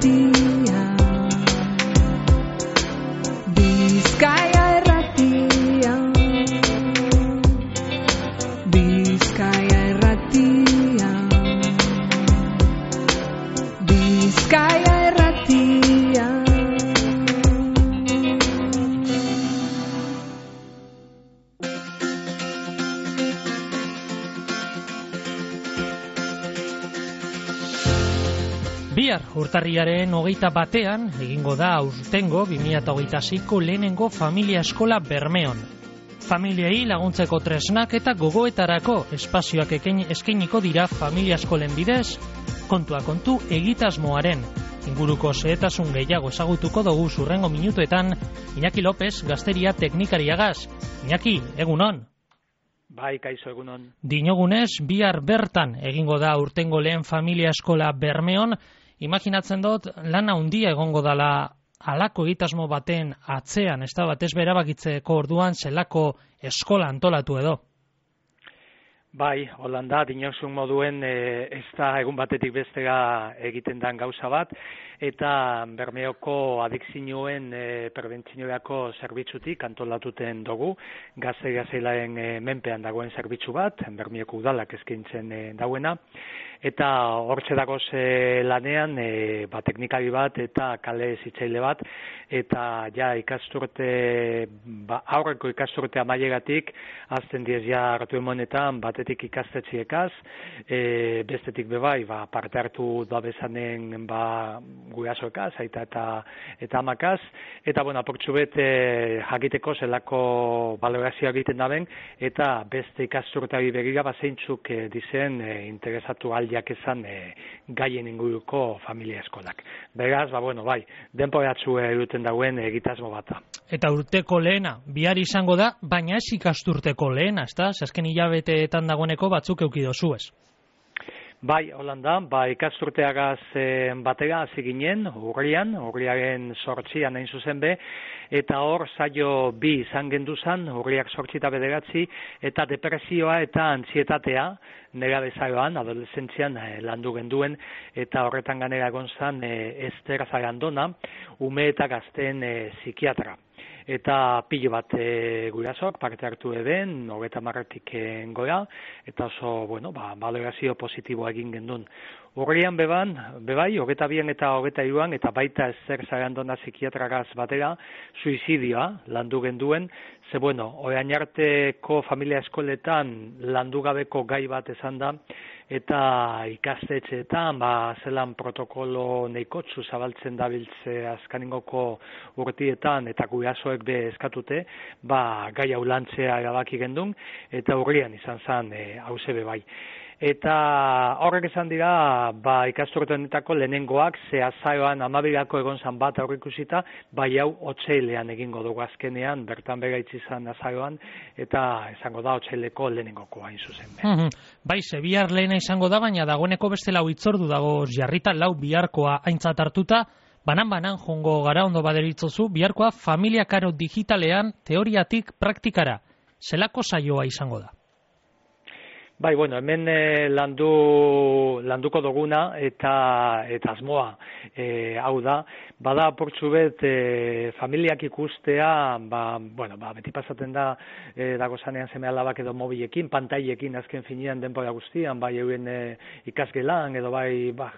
Irratia, Bizkaia Irratia, Bizkaia Irratia, Bizkaia Irratia. Bihar urtarriaren 21 egingo da aurtengo 2026ko lehenengo familia eskola Bermeon. Familiei laguntzeko tresnak eta gogoetarako espazioak eskainiko dira familia eskolen bidez, kontua kontu egitasmoaren. Inguruko xehetasun gehiago ezagutuko dugu hurrengo minutuetan Iñaki López gazteria teknikariagaz. Iñaki, egunon. Bai, kaixo, egunon. Dinogunez, bihar bertan egingo da urtengo lehen familia eskola Bermeon. Imaginatzen dut, lan handia egongo dala halako egitasmo baten atzean, ez da batez berabakitzeko orduan zelako eskola antolatu edo. Bai, Holanda, dinosun moduen ez da egun batetik bestera egiten dan gauza bat, eta Bermeoko adikzioen prebentzinorako zerbitzutik antolatuten dugu, gazte-gaztelaen menpean dagoen zerbitzu bat, Bermeoko udalak eskaintzen dauena, eta hortxe dagoz lanean teknikari bat eta kale zitzaile bat, eta ja ikasturte, aurreko ikasturte amaieratik, azten diez ja hartu emonetan batetik ikastetxiekaz, bestetik bebai, parte hartu da bezanen gurasoekaz, aita eta amakaz, eta aportxu bet jakiteko zelako balorazioa egiten daben, eta beste ikasturteari begira zeintzuk dizen interesatu aldiak ezan gaien inguruko familia eskolak. Beraz, bai, denporatzu eruten dauen egitasmo bata. Eta urteko lehena, bihar izango da, baina ez ikasturteko lehena, ez da? Azken hilabeteetan dagoeneko batzuk eukidozu ez. Bai, Holanda, ikasturteagaz batera hasi ginen, urriaren 8an hain zuzen be, eta hor saio 2 izan genduzan, urriak 8 eta 9, eta depresioa eta antzietatea, nera bezaroan, adolescentzian landu genduen, eta horretan ganera gonzan Ester Zarandona, ume eta gazten psikiatra. Eta pilo bat gurasok parte hartu eben, 30 gora, eta oso, balorazio positiboa egin gendun. Urrian bebai, 22 eta 23 eta baita Ester Zarandona psikiatragaz batera, suizidioa landu genduen, ze orain arteko familia eskoletan landu gabeko gai bat esan da, eta ikastetxeetan, zelan protokolo neikotzu zabaltzen dabiltze azkaningoko urtietan, eta gurasoek be eskatute, gai hau lantzea erabaki gendun, eta urrian izan zen hauze bebai. Eta horrek esan dira, ikasturte honetako lehenengoak, ze azaroan 12ko egon zan bat aurrikusita, hau otsailean egingo dugu azkenean, bertan begaitzi izan azaroan, eta esango da otsaileko lehenengoko hain zuzen. Bai, ze bihar lehena izango da, baina dagoeneko beste lau hitzordu dago jarrita, lau biharkoa aintzat hartuta, banan jongo gara ondo baderitzozu, biharkoa familia karo digitalean teoriatik praktikara. Zelako saioa izango da? Bai, hemen landuko duguna eta asmoa hau da, bada portzu bet familiak ikustea, beti pasaten da dago zanean seme alabak edo mobilekin, pantailekin azken finean denbora guztian, euren ikasgelan edo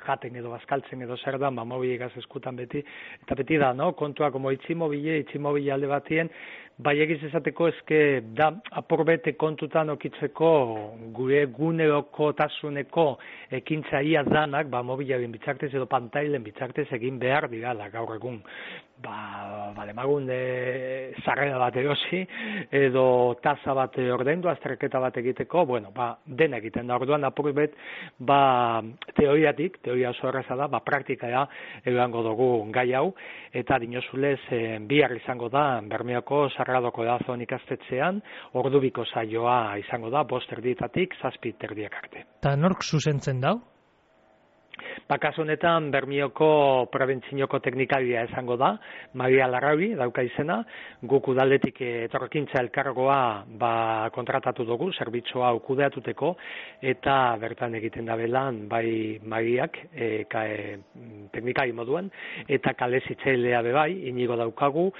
jaten edo bazkaltzen edo zer da, mobilegaz eskutan beti, eta beti da, kontua, como itximobile alde batien, egiz esateko eske da aporbete kontutan okitzeko gure gunerokotasuneko ekintzaia danak, mobilaren bitartez edo pantailen bitartez egin behar dirala gaur egun. Demagun sarrera bat erosi, edo tasa bat ordaindu, azterketa bat egiteko, dena egiten da. Orduan apurbet, teoria oso erraza da, praktikara erango dugu gai hau, eta dinozulez bihar izango da, Bermeoko Sagradoko Corazon ikastetxean, ordubiko saioa izango da, 5:30 7:30 arte. Eta nork zuzentzen dau? Kasu honetan Bermioko prebentzioko teknikaria esango da, Maria Larrauri dauka izena, guk udaldetik etorkintza elkargoa kontratatu dugu, zerbitzua kudeatuteko, eta bertan egiten da belan, bai Mariak teknikari moduan, eta kalezitzailea bebai, inigo daukagu,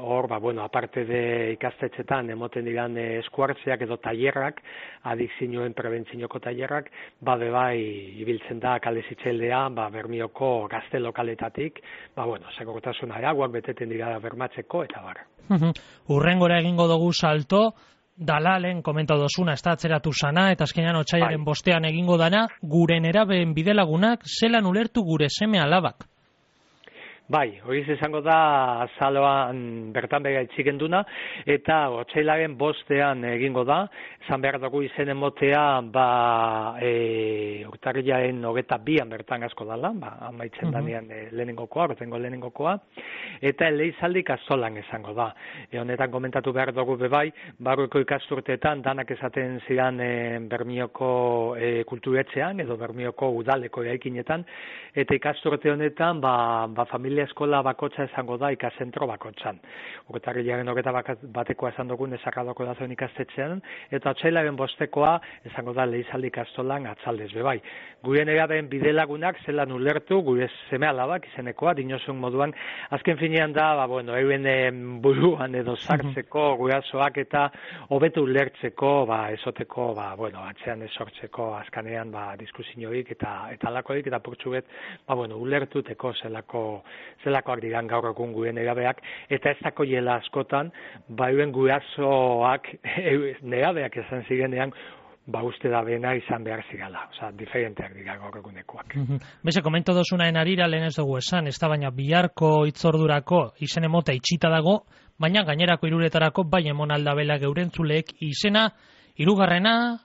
hor, aparte de ikastetxetan, emoten diran eskuartzeak edo tailerrak, adikzioen prebentzioko tailerrak, bebai ibiltzen da kalezitzailea, Bermioko gazte lokaletatik, segurtasuna araguak beteten dira bermatzeko, eta bar. Urrengora egingo dugu salto, Dalalen komentatu dozuna, ez da atzeratu sana, eta azkenean otsailaren 5 egingo dana, gure nerabeen bidelagunak zelan ulertu gure seme alabak. Bai, hori izango da azaloan bertan bega itxigenduna, eta otsailaren 5 egingo da, esan behar dugu izen emotea, urtarrilaren 22 bertan asko dala, amaitzen danean lehenengokoa, betengo lehenengokoa, eta eleizaldi kastolan izango da. Honetan komentatu behar dugu bebai, barruko ikasturteetan danak esaten zidan Bermioko kulturetxean, edo Bermioko udaleko eraikinetan, eta ikasturte honetan, familia eskola bakotxa esango da ikazentro bakotxan. Urtarrilaren 21 esan dugun esakadoko da zuen ikastetxean, eta otsailaren 5 esango da leizaldi ikastolan atzaldez bebai. Gure nerabeen bidelagunak zelan ulertu, gure seme alabak izenekoa, dinosun moduan, azken finean da, euren buruan edo sartzeko gurasoak eta hobetu ulertzeko, esoteko, atzean esortzeko azkanean diskusioik eta alakoik, eta purtsuget, ulertuteko zelakoak diran gaur egun gure nerabeak, eta ez dako jela askotan, euren gurasoak nerabeak esan zirenean, uste da bena izan behar zigala, diferenteak dira gaur egunekoak. Beze, komento dozunaen arira lehen ez dugu esan, ez da baina biharko hitzordurako izen emota itxita dago, baina gainerako hiruretarako bai emon aldabela geurentzuleek izena, 3.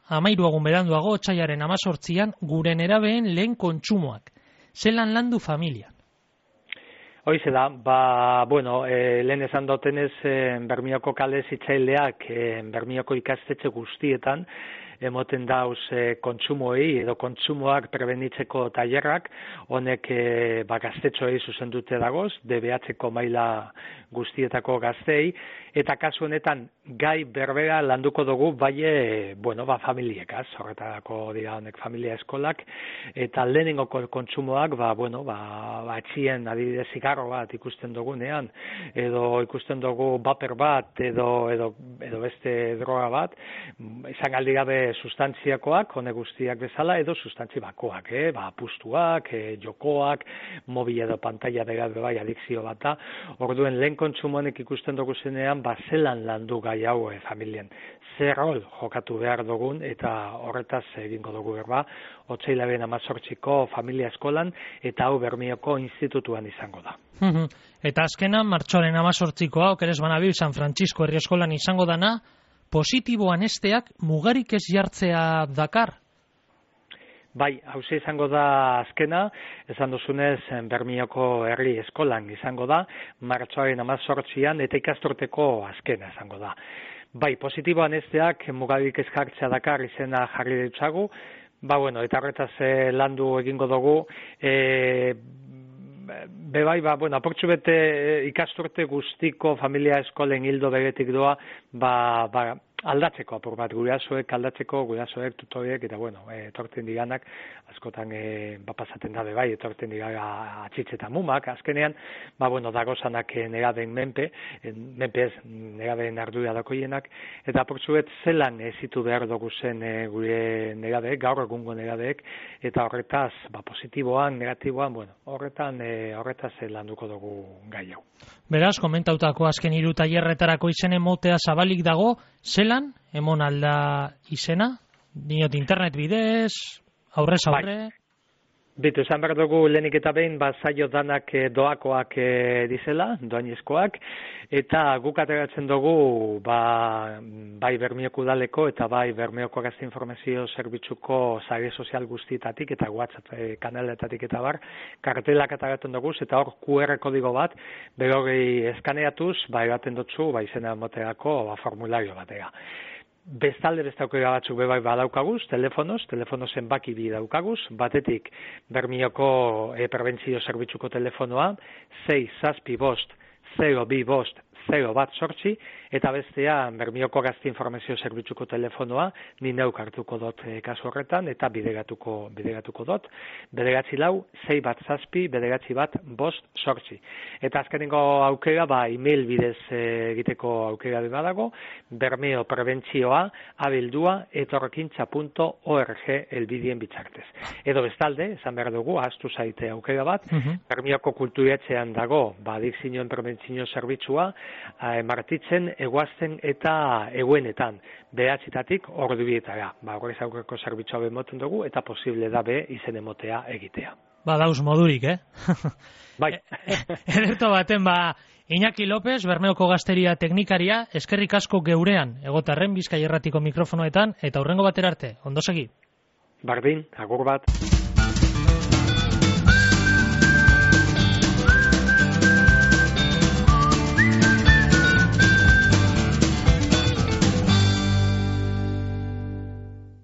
13 egun beranduago, otsailaren 18 gure nerabeen lehen kontsumoak. Zelan landu familia? Hoize da, lehen esan dutenez Bermioko kale zitzaileak Bermioko ikastetxe guztietan emoten dauz kontsumoei edo kontsumoak prebenitzeko tailerrak, honek gaztetxoei zuzendute dagoz, DBH-ko maila guztietako gaztei, eta kasu honetan gai berbera landuko dugu familiekaz, horretarako dira honek familia eskolak, eta lehenengo kontsumoak, atxien adibidez zigarro bat ikusten dugunean, edo ikusten dugu baper bat, edo beste droga bat, izan aldi gabe sustantziakoak, honek guztiak bezala, edo sustantzi bakoak, apustuak, jokoak, mobil edo pantalla berat bai adikzio bat da, orduen lehen kontsumonek ikusten dugu zenean, zelan landu gai hau familien. Zer rol jokatu behar dugun, eta horretaz egingo dugu berba, otsailaren 18ko familia eskolan, eta hau Bermioko institutuan izango da. Eta azkenan, martxoaren 18koa, okeres banabil, San Francisco herri eskolan izango dana, positiboan esteak mugarik ez jartzea dakar? Bai, hauze izango da azkena, esan duzunez Bermioko herri eskolan izango da, martxoaren 18an eta ikasturteko azkena izango da. Bai, positiboan esteak mugarik ez jartzea dakar izena jarri ditzagu, eta horretaz landu egingo dugu, aportxu bete ikasturte guztiko familia eskolen hildo beretik doa, aldatzeko apur bat, gurasoek aldatzeko, gurasoek, tutoriek, eta etortzen diganak, askotan pasaten da bebai, etortzen diga atxitze eta mumak, azkenean, dagozanak nerabeen menpe ez nerabeen ardura dakoienak, eta apurtzuet zelan ezitu behar dugu zen gure nerabeek, gaur egungo nerabeek, eta horretaz, positiboan, negatiboan, horretaz landuko dugu gai hau. Beraz, komentautako azken 3 tailerretarako izen emotea zabalik dago, zelan emon alda izena? Dinot internet bidez, aurrez aurre? Bitu, esan behar dugu lehenik eta behin, zailo danak doakoak dizela, doainezkoak, eta guk ateratzen dugu bai Bermioko udaleko eta bai Bermioko gazte informazio zerbitzuko sare sozial guztietatik eta WhatsApp kanaletatik eta kartelak ateratzen dugu, eta hor QR kodigo bat, berogei eskaneatuz, ebaten dutzu, izena moteako formulario batera. Bestalde beste aukera batzuk bebai badaukaguz, telefono zenbaki bi daukaguz, batetik Bermioko prebentzio zerbitzuko telefonoa, 6-7-5-0-2-5-0-1-8, eta bestea Bermioko Gazte Informazio Zerbitzuko telefonoa, ni neuk hartuko dut kasu horretan, eta bideratuko dut, 9-6-6-9-1-5-8. Eta azkenengo aukera, email bidez egiteko aukera badago, Bermeo prebentzioa, abildua@etorkintza.org elbidien bitzartez. Edo bestalde, esan behar dugu, ahaztu zaite aukera bat, Bermioko kulturetxean dago, adikzioen prebentzio zerbitzua, martitzen, eguazten eta eguenetan, 9:00 ordubietara. Horrez aurreko zerbitzua bemoten dugu, eta posible da izen emotea egitea. Dauz modurik, Bai. Ederto baten, Iñaki López, Bermeoko Gazteria teknikaria, eskerrik asko geurean, egotarren Bizkaia Irratiko mikrofonoetan, eta hurrengo batera arte, ondo segi. Bardin, agur bat.